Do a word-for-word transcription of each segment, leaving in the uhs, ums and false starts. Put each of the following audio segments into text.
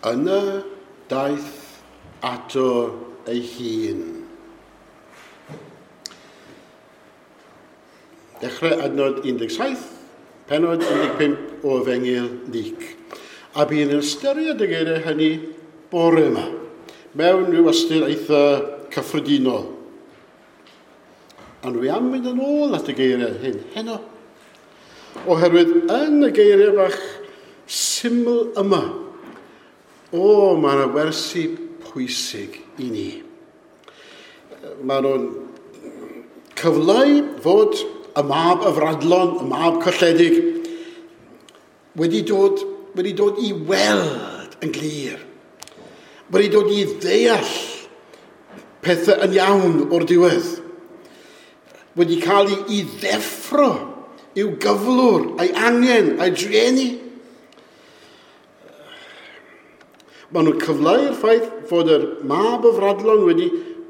Yna daeth ato ei hun. Dechrau adnod un deg saith, pennod un deg pump o Efengyl Luc. A bu'n ystyried y geiriau hynny bore yma, mewn rhyw ystyr eitha cyffredinol. Ond dwi am fynd yn ôl at y geiriau hyn heno. Oherwydd yn y geiriau bach syml yma, o, mae yna wersi pwysig i ni. Mae nhw'n cyfleu fod y mab y fradlon, y mab colledig, wedi dod, wedi dod i weld yn glir. Wedi dod i ddeall pethau yn iawn o'r diwedd. Wedi cael ei, ei ddeffro i'w gyflwr, a'i angen, a'i drueni. Maen nhw'n cyfleu'r ffaith fod yr mab y fradlon wedi,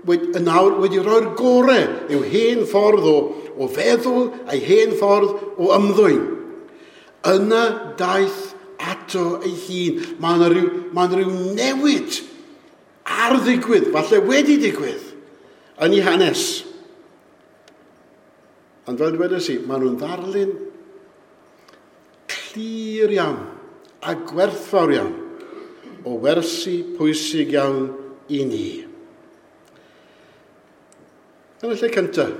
wedi, yn awr wedi rhoi'r gorau i'w hen ffordd o, o feddwl a'i hen ffordd o ymddwyn. Yna daeth ato ei hun. Mae yna rhyw, mae yna rhyw newid ar ddigwydd, falle wedi digwydd, yn ei hanes. Ond fel dwedais i, maen nhw'n ddarlun clir iawn a gwerthfawr iawn o wersi pwysig iawn i ni. Yn y lle cyntaf,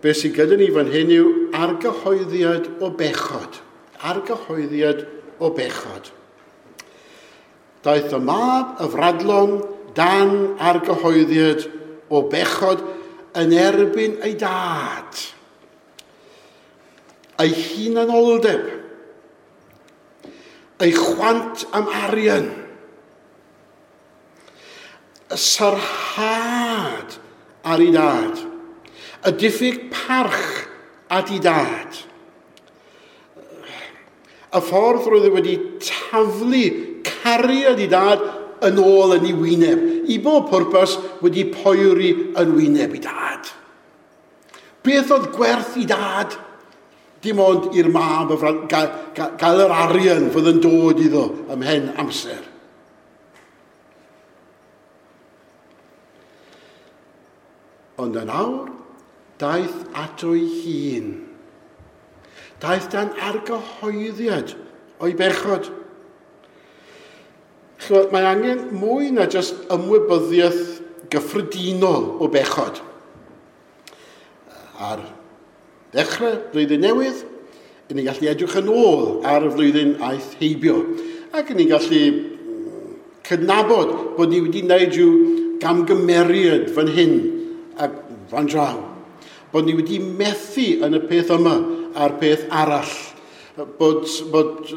beth sydd gyda ni fan hyn yw argyhoeddiad o bechod. Argyhoeddiad o bechod. Daeth y mab y fradlon dan argyhoeddiad o bechod yn erbyn ei dad. Ei hunanoldeb. Ei chwant am arian. Y sarhad ar ei dad. Y diffyg parch at ei dad. Y ffordd roedd e wedi taflu cariad ei dad yn ôl yn ei wyneb. I bob pwrpas wedi poeri yn wyneb ei dad. Beth oedd gwerth ei dad? Dim ond i'r mab gael, gael yr arian fydd yn dod iddo ymhen amser. Ond yn awr, daeth ato ei hun. Daeth dan argyhoeddiad o'i bechod. Chymod, mae angen mwy na jyst ymwybyddiaeth gyffredinol o bechod. Ar ddechrau blwyddyn newydd, i ni'n gallu edrych yn ôl ar y flwyddyn aeth heibio. Ac i ni'n gallu cydnabod bod ni wedi gwneud rhyw gamgymeriad fan hyn ac fan draw. Bod ni wedi methu yn y peth yma a'r peth arall. Bod, bod,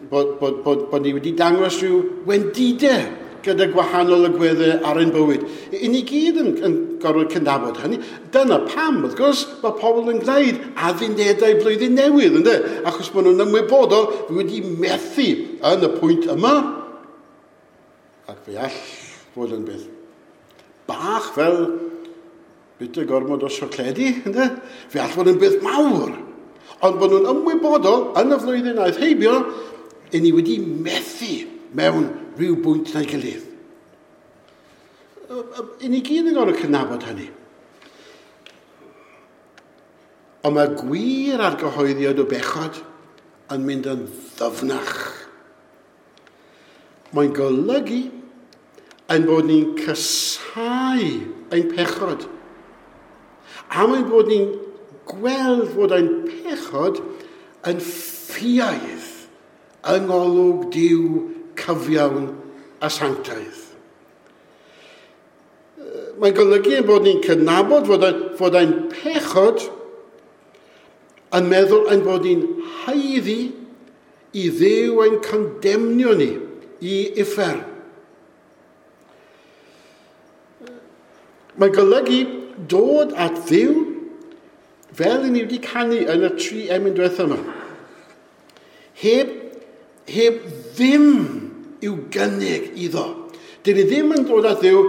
bod, bod, bod, bod ni wedi dangos rhyw wendidau gyda gwahanol agweddau ar ein bywyd. I ni gyd yn, yn gorfod cydnabod hynny. Dyna pam, wrth gwrs, mae pobl yn gwneud addunedau blwyddyn newydd, ynde? Achos maen nhw'n ymwybodol wedi methu yn y pwynt yma. Ac fe all fod yn beth bach fel bwyta gormod o siocledi, ynde? Fe all fod yn beth mawr. Ond bod nhw'n ymwybodol yn y flwyddyn aeth heibio, i ni wedi methu mewn rhyw bwynt na'i gilydd. I ni gyd yn gorfod cydnabod hynny. Ond mae gwir argyhoeddiad o bechod yn mynd yn ddyfnach. Mae'n golygu ein bod ni'n casáu ein pechod. A mae'n bod ni'n gweld fod ein pechod yn ffiaidd yng ngolwg Duw cyfiawn a sanctaidd. Mae'n golygu ein bod ni'n cydnabod fod ein, fod ein pechod yn meddwl ein bod ni'n haeddu i Dduw ein condemnio ni i uffern. Mae'n golygu dod at Dduw fel i ni wedi canu yn y tri emyn diwethaf yma. Heb, heb ddim i'w gynnig iddo. Dyn ni ddim yn dod at Dduw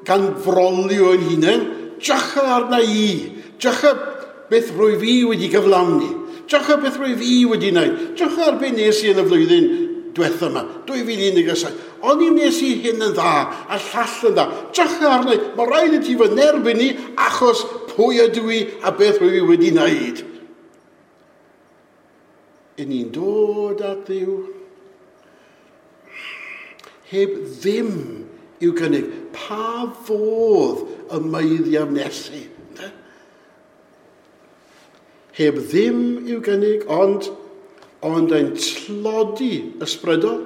gan frolio ein hunain. Drycha arna i. Drycha beth rwy fi wedi gyflawni. Drycha beth rwy fi wedi wneud. Drycha ar beth nes i yn y flwyddyn diwetha yma, dwy fil un deg saith. O'n i wnes i hyn yn dda, a llall yn dda. Drycha arna i, mae rhaid i ti fy nerbyn i achos pwy ydw i a beth rwy i wedi wneud. Yn ni'n dod at Dduw heb ddim i'w gynnig. Pa fodd y meiddiaf nesu? Heb ddim i'w gynnig, ond, ond ein tlodi ysbrydol.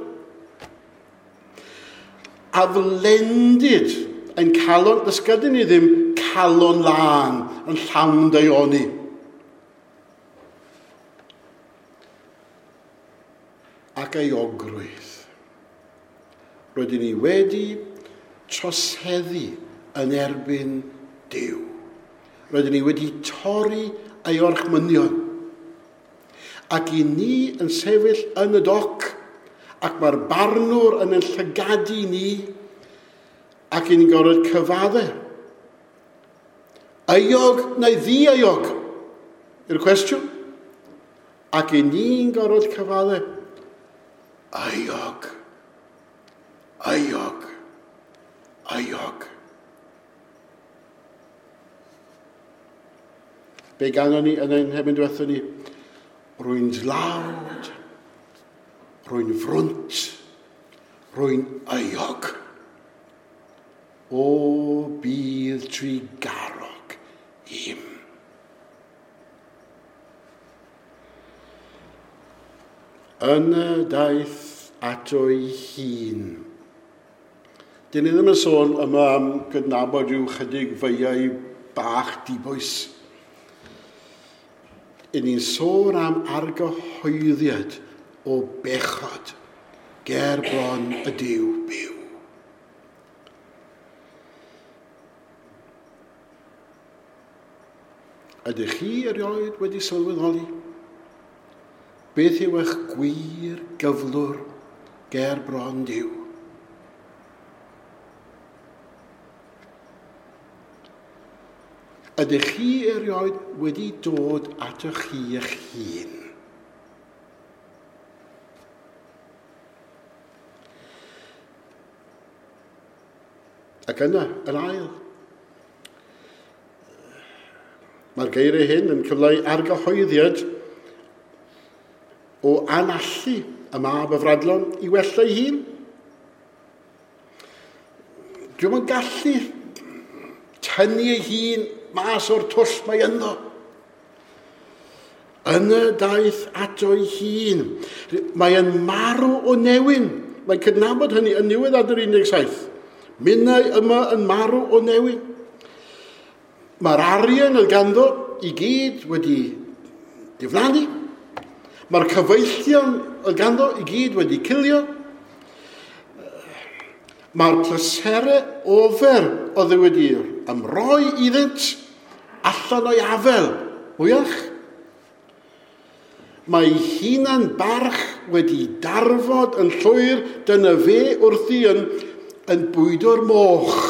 Aflendid ein calon, does gyda ni ddim calon lân yn llawn daioni. Ac euogrwydd. Rydyn ni wedi troseddu yn erbyn Duw. Rydyn ni wedi torri ei orchmynion. Ac i ni yn sefyll yn y doc, ac mae'r barnwr yn ein llygadu ni, ac i ni'n gorfod cyfadde. Euog neu ddi-euog? Yw'r cwestiwn. Ac i ni'n gorfod cyfadde. Euog. Euog. Euog. Be ganon ni yn ein hefyd diwethaf ni? Rwy'n dlawd, rwy'n frwnt, rwy'n euog. O bydd trugarog im. Yna daeth ato'i hun. Dyn ni ddim yn sôn yma am gydnabod rhyw chydig feiau bach dibwys. Yn ni'n sôn am argyhoeddiad o bechod ger bron y Duw byw. Ydych chi erioed wedi sylweddoli? Beth yw eich gwir gyflwr ger bron Duw? Ydych chi erioed wedi dod atoch chi eich hun? Ac yna, yr ail. Mae'r geiriau hyn yn cyfleu argyhoeddiad o anallu y mab y fradlon i wella ei hun. Dwi'm yn gallu tynnu ei hun mas o'r twll mae ynddo. Yna daeth ato'i hun. Mae yn marw o newyn. Mae'n cydnabod hynny yn niwedd adnod un deg saith. Minnau yma yn marw o newyn. Mae'r arian oedd ganddo i gyd wedi diflannu. Mae'r cyfeillion oedd ganddo i gyd wedi cilio. Mae'r pleserau ofer oedd wedi ymroi iddynt allan o'i afel, mwyach. Mae hunan barch wedi darfod yn llwyr, dyna fe wrthi yn, yn bwydo'r moch.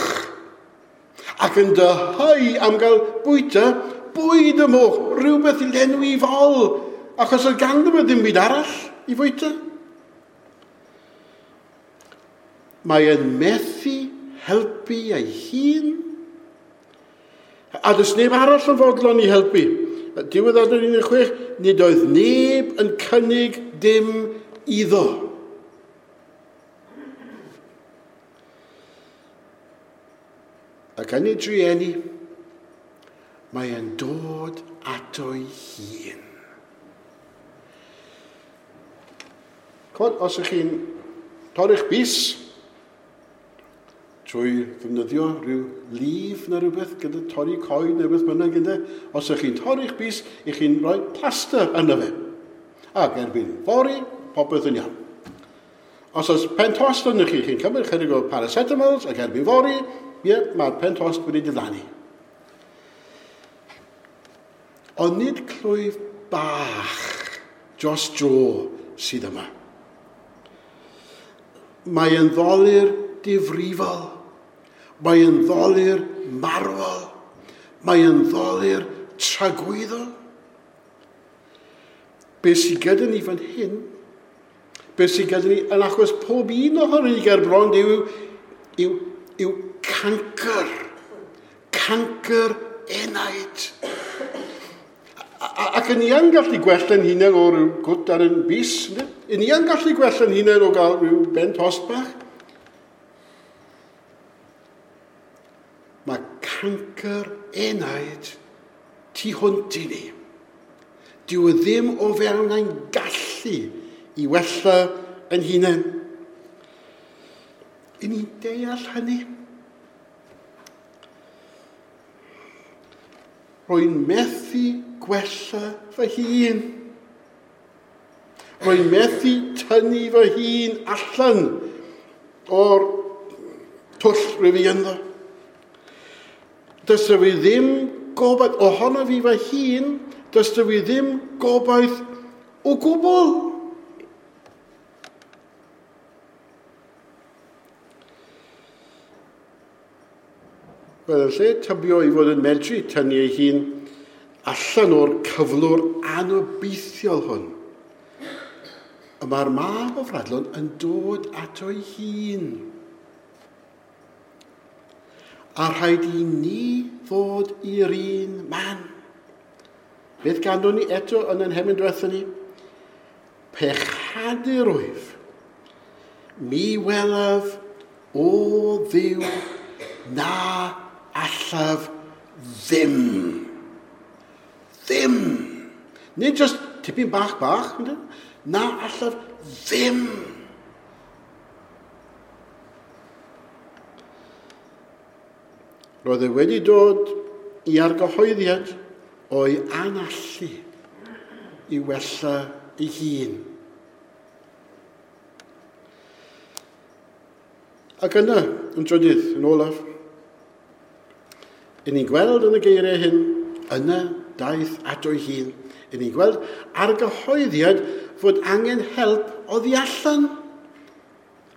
Ac yn dyheu am gael bwyta bwyd y moch, rhywbeth i lenwi fol, achos oedd ganddo fe ddim byd arall i fwyta. Mae yn methu helpu ei hun. A does neb arall yn fodlon i helpu. Diwedd adnod un deg chwech, nid oedd neb yn cynnig dim iddo. Ac yn ei drueni, mae yn dod ato'i hun. Cod, os ych chi'n torri'ch bys, trwy ddefnyddio rhyw lif neu rhywbeth gyda torri coed neu rhywbeth bynnag gyda, os ych chi'n torri'ch bys, ych chi'n rhoi plaster yno fe. Ac erbyn fory, popeth yn iawn. Os oes pen tost yno chi, chi'n cymryd chydig o paracetamols ac erbyn fory, ie, mae'r pen tost wedi diflannu. Ond nid clwyf bach dros dro sydd yma. Mae yn ddolur difrifol. Mae yn ddolur marwol. Mae yn ddolur tragwyddol. Be sydd gyda ni fan hyn, Beth sydd gyda ni yn achos pob un ohono ni ger bron yw, yw, yw cancr. Cancr enaid. Ac yn ni yn gallu gwella'n hunain o ryw gwt ar yn bys. Yn ni yn gallu gwella'n hunain o gael rhyw ben tost bach. Mae cancr enaid tu hwnt i ni. Dyw e ddim o fewn ein gallu i wella yn hunain. Yn ni'n deall hynny? Rwy'n methu gwella fy hun. Rwy'n methu tynnu fy hun allan o'r twll rwy fi ynddo. Does fi ddim gobaith ohono fi fy hun, does fi ddim gobaith o gwbl. Wel, yn lle tybio i fod yn medru tynnu ei hun allan o'r cyflwr anobeithiol hwn, y mae'r mab o Fradlon yn dod ato ei hun. A rhaid i ni ddod i'r un man. Beth ganddo ni eto yn ein hemyn diwethaf ni? Pechadur wyf, mi welaf o Dduw na allaf ddim. Ddim. Nid just tipyn bach bach, na allaf ddim. Roedd e wedi dod i argyhoeddiad o'i anallu i wella ei hun. Ac yna, yn trydydd, yn olaf, yn ni'n gweld yn y geiriau hyn, yna daeth ato ei hun. Yn ni'n gweld argyhoeddiad fod angen help oddi allan.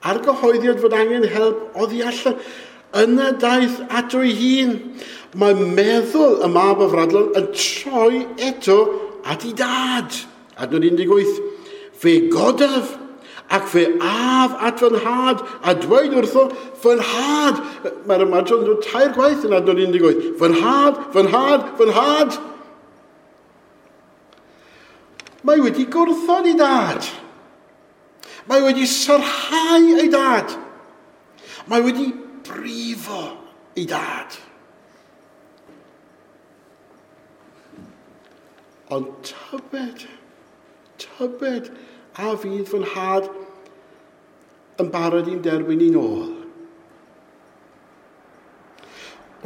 Argyhoeddiad fod angen help oddi allan. Yna daeth ato ei hun. Mae meddwl y mab o Fradlon yn troi eto at ei dad. Adnod un deg wyth. Fe godaf ac fe af at fy nhad a dweud wrtho fy nhad. Mae'r ymadrodd yn dod tair gwaith yn adnod un deg wyth. Fy nhad, fy nhad, fy nhad. Mae wedi gwrthod ei dad. Mae wedi sarhau ei dad. Mae wedi brifo ei dad. Ond tybed, tybed a fydd fy nhad yn barod i'n derbyn i'n ôl.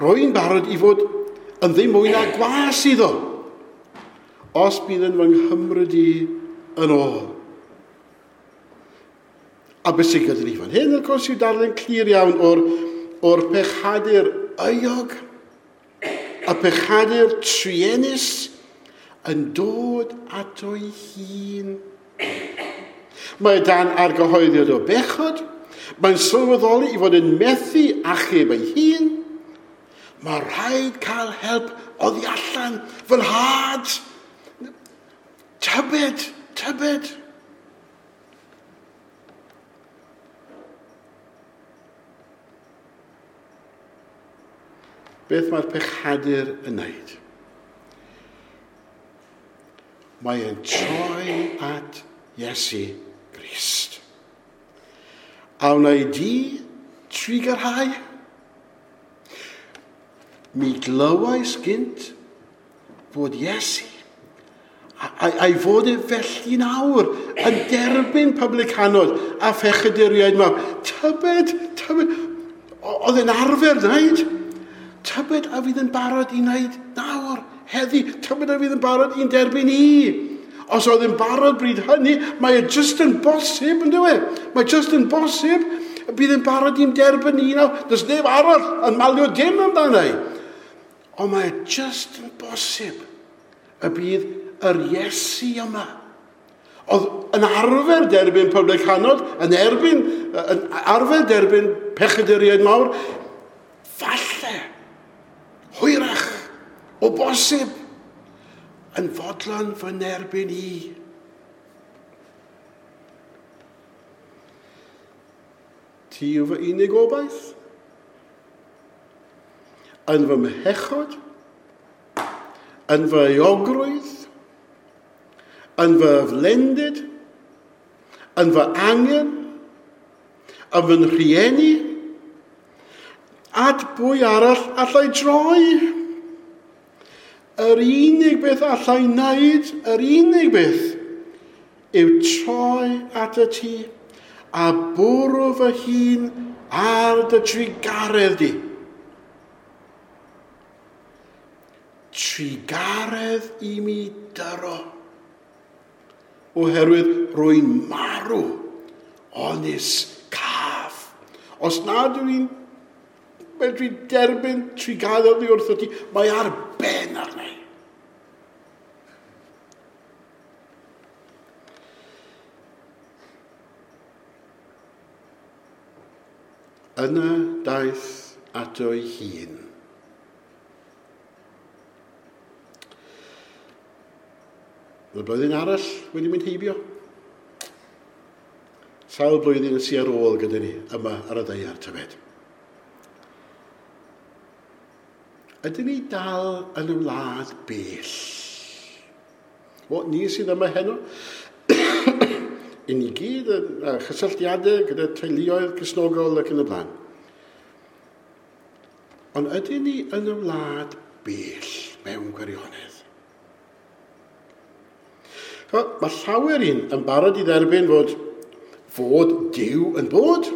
Rwy'n barod i fod yn ddim mwy na gwas iddo, os bydd yn fy nghymryd i yn ôl. A beth sy'n gyda ni fan hyn, wrth gwrs, yw darllen clir iawn o'r, o'r pechadur euog, a pechadur truenus yn dod ato'i hun. Mae dan argyhoeddiad o bechod, mae'n sylweddoli i fod yn methu achub ei hun. Mae rhaid cael help oddi allan, fy nhad. Tybed, tybed. Beth mae'r pechadur yn wneud? Mae e'n troi at Iesu Grist. A wnei di trugarhau? Mi glywais gynt fod Iesu, a'i fod e felly nawr yn derbyn publicanod a phechaduriaid mawr. Tybed, tybed, oedd e'n arfer wneud? Tybed a fydd yn barod i wneud nawr, heddi, tybed a fydd yn barod i'n derbyn i. Os oedd yn barod bryd hynny, mae e just yn bosib, yn dyw e? Mae just yn bosib, bydd yn barod i'n derbyn i nawr. Does neb arall yn malio dim amdano i. Ond mae e just yn bosib y bydd yr Iesu yma. Oedd yn arfer derbyn publicanod, yn erbyn, yn arfer derbyn pechaduriaid mawr, falle, hwyrach, o bosib, yn fodlon fy nerbyn i. Ti yw fy unig obaith. Yn fy mhechod, yn fy euogrwydd, yn fy flendid, yn fy angen, yn fy rhieni, at bwy arall allai droi? Yr unig beth allai wneud, yr unig beth, yw troi at y ti a bwrw fy hun ar dy trugaredd di. Trugaredd i mi dyro, oherwydd rwy'n marw, onis caf. Os nad yw'n medru derbyn trugaredd oddi wrtho ti, mae ar ben arna i. Yna daeth ato ei hun. Mae blwyddyn arall wedi mynd heibio. Sawl blwyddyn sy'n ar ôl gyda ni yma ar y ddaear, tybed. Ydyn ni dal yn y wlad bell? O, ni sydd yma heno, i ni gyd yn chysylltiadau gyda teuluoedd Cristnogol ac yn y blaen. Ond ydyn ni yn y wlad bell mewn gwirionedd? Mae llawer un yn barod i dderbyn fod, fod Duw yn bod.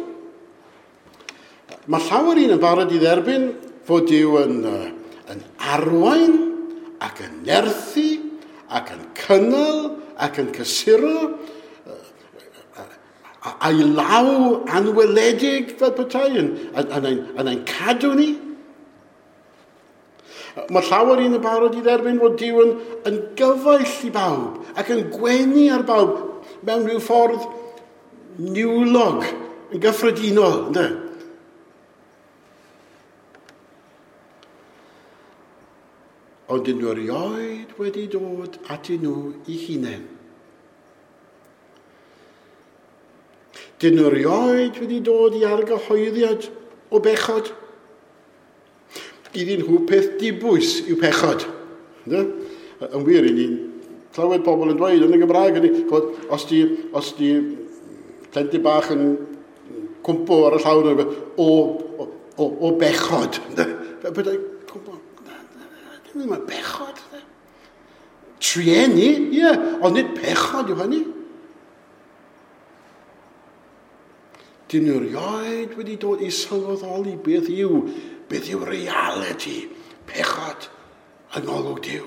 Mae llawer un yn barod i dderbyn fod Duw yn, yn arwain ac yn nerthu ac yn cynnal ac yn cysuro a'i law anweledig fel petai yn, yn, yn, yn, yn ein cadw ni. Mae llawer un yn barod i dderbyn fod Duw yn, yn gyfaill i bawb ac yn gwenu ar bawb mewn rhyw ffordd niwlog, yn gyffredinol, ynddo? Ond dyn nhw erioed wedi dod atyn nhw i hunain. Dyn nhw erioed wedi dod i argyhoeddiad o bechod. Iddyn nhw peth dibwys yw pechod. Ynddo? Yn wir, i ni'n clywed pobl yn dweud yn y Gymraeg, ydy, os di, os di plentyn bach yn cwmpo ar y llawr, o, o, o, o bechod. Cwmpo, ddim yn bechod. Trueni, ie, yeah, ond nid pechod yw hynny. Dyn nhw erioed wedi dod i sylweddoli beth yw, beth yw reality, pechod yng ngolwg Duw.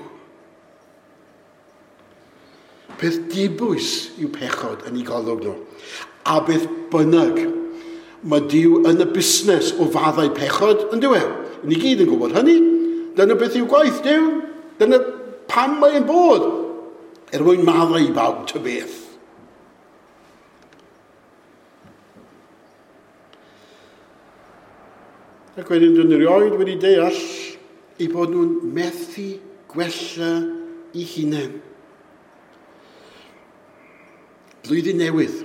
Peth dibwys yw pechod yn ei golwg nhw. A beth bynnag, mae Duw yn y busnes o faddau pechod, yn dyw e? Ni gyd yn gwybod hynny. Dyna beth yw gwaith Duw. Dyna pam mae'n bod. Er mwyn maddau i bawb ta beth. Ac wedyn dyn nhw erioed wedi deall eu bod nhw'n methu gwella eu hunain. Blwyddyn newydd.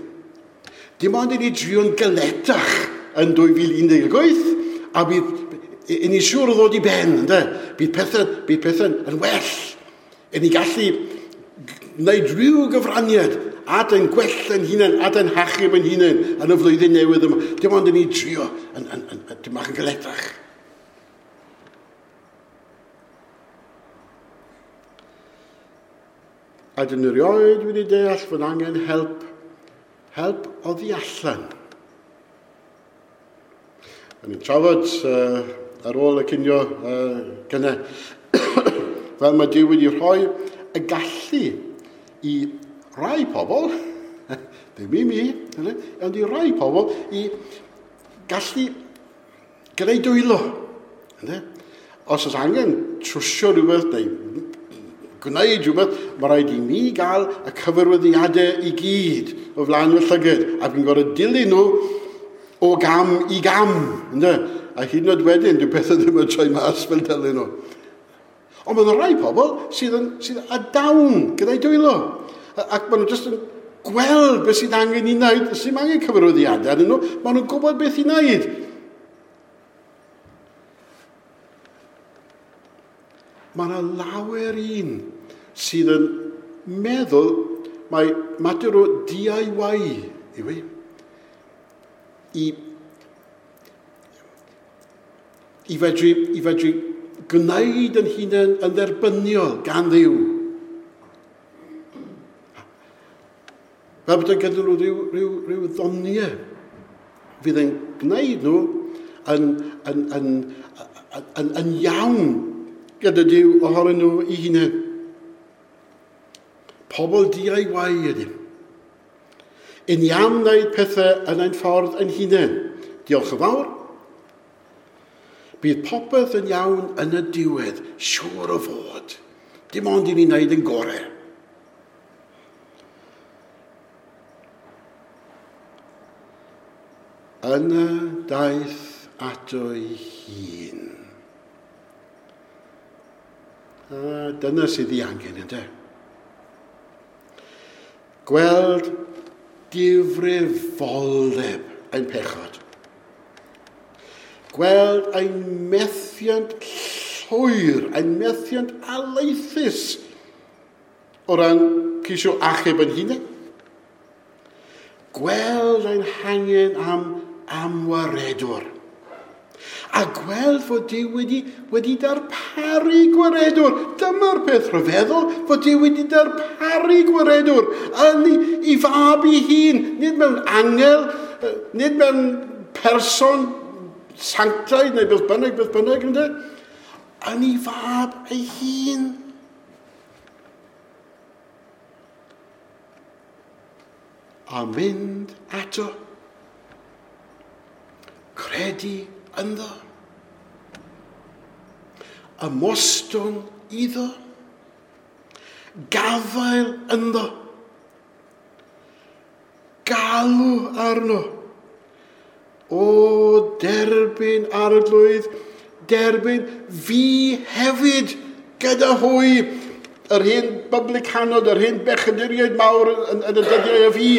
Dim ond i ni drio'n galetach yn dwy fil un deg wyth, a bydd i ni siŵr o ddod i ben, ynde? Bydd pethau, bydd pethau yn well. I ni gallu gwneud rhyw gyfraniad at ein gwella ein hunain, at ein hachub ein hunain yn y flwyddyn newydd yma. Dim ond i ni drio yn, yn, yn, yn, dim bach yn galetach. A dyn nhw erioed wedi deall fod angen help, help oddi allan. O'n i'n trafod uh, ar ôl y cinio uh, gynne, fel mae Duw wedi rhoi y gallu i rai pobl, ddim i mi, ond i rai pobl i gallu gyda'i dwylo. Os oes angen trwsio rhywbeth neu gwneud rhywbeth, mae rhaid i mi gael y cyfarwyddiadau i gyd o flaen fy llygad, a fi'n gorfod dilyn nhw o gam i gam. Ynde? A hyd yn oed wedyn, dyw pethau ddim yn troi mas fel dilyn nhw. Ond mae yna rai pobl sydd, yn, sydd â dawn gyda'i dwylo. Ac maen nhw jyst yn gweld beth sydd angen i wneud. Sydd angen cyfarwyddiadau arnyn nhw, maen nhw'n gwybod beth i wneud. Mae yna lawer un sydd yn meddwl mae mater o D I Y yw e. I, i fedru, i fedru gwneud yn hunain yn dderbyniol gan Dduw. Fel bod yn gyda nhw rhyw, rhyw, rhyw ddoniau fydd yn gwneud nhw yn, yn, yn, yn, yn, yn iawn gyda Duw ohonyn nhw eu hunain. Pobl D I Y ydym. Yn iawn wneud pethau yn ein ffordd ein hunain. Diolch yn fawr. Bydd popeth yn iawn yn y diwedd, siŵr o fod. Dim ond i ni wneud yn gorau. Yna daeth ato ei hun. A dyna sydd ei angen, ynde? Gweld difrifoldeb ein pechod. Gweld ein methiant llwyr, ein methiant alaethus o ran ceisio achub yn hunain. Gweld ein hangen am amwaredwr. A gweld fod Duw wedi, wedi darparu gwaredwr. Dyma'r peth rhyfeddol, fod Duw wedi darparu gwaredwr yn ei, ei fab ei hun, nid mewn angel, nid mewn person sanctaidd neu beth bynnag, beth bynnag, ynde? Yn ei fab ei hun. A mynd ato. Credu ynddo. Ymostwng iddo. Gafael ynddo. Galw arno. O derbyn Arglwydd, derbyn fi hefyd gyda hwy. Yr hen bublicanod, yr hen bechaduriaid mawr yn, yn y dyddiau o fi.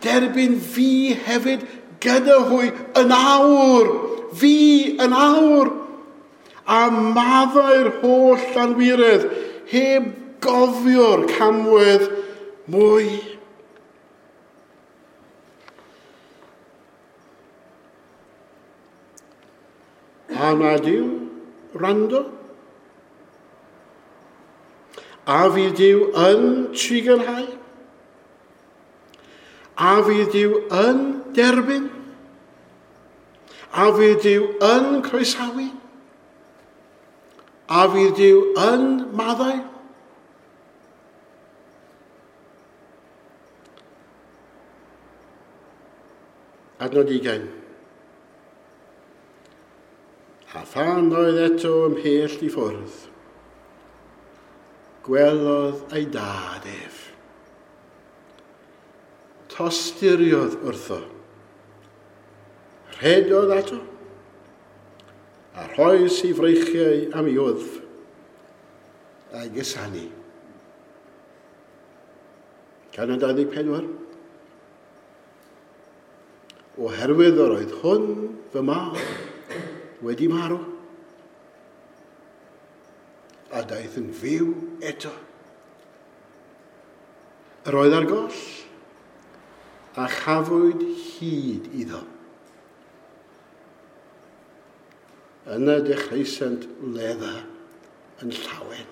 Derbyn fi hefyd gyda hwy yn awr. Fi yn awr. A maddau'r holl anwiredd, heb gofio'r camwedd mwy. A na Duw rando? A fydd Duw yn trugarhau? A fydd Duw yn derbyn? A fydd Duw yn croesawu? A fydd Duw yn maddau? Adnod ugain. A phan oedd eto ymhell i ffwrdd, gwelodd ei dad ef. Tosturiodd wrtho. Rhedodd ato, a rhoes ei freichiau am ei wddf, a'i gusanu. Canol dau ddeg pedwar. Oherwydd yr oedd hwn fy mab wedi marw, a daeth yn fyw eto. Yr oedd ar goll, a chafwyd hyd iddo. Yna dechreusant wledda yn llawen.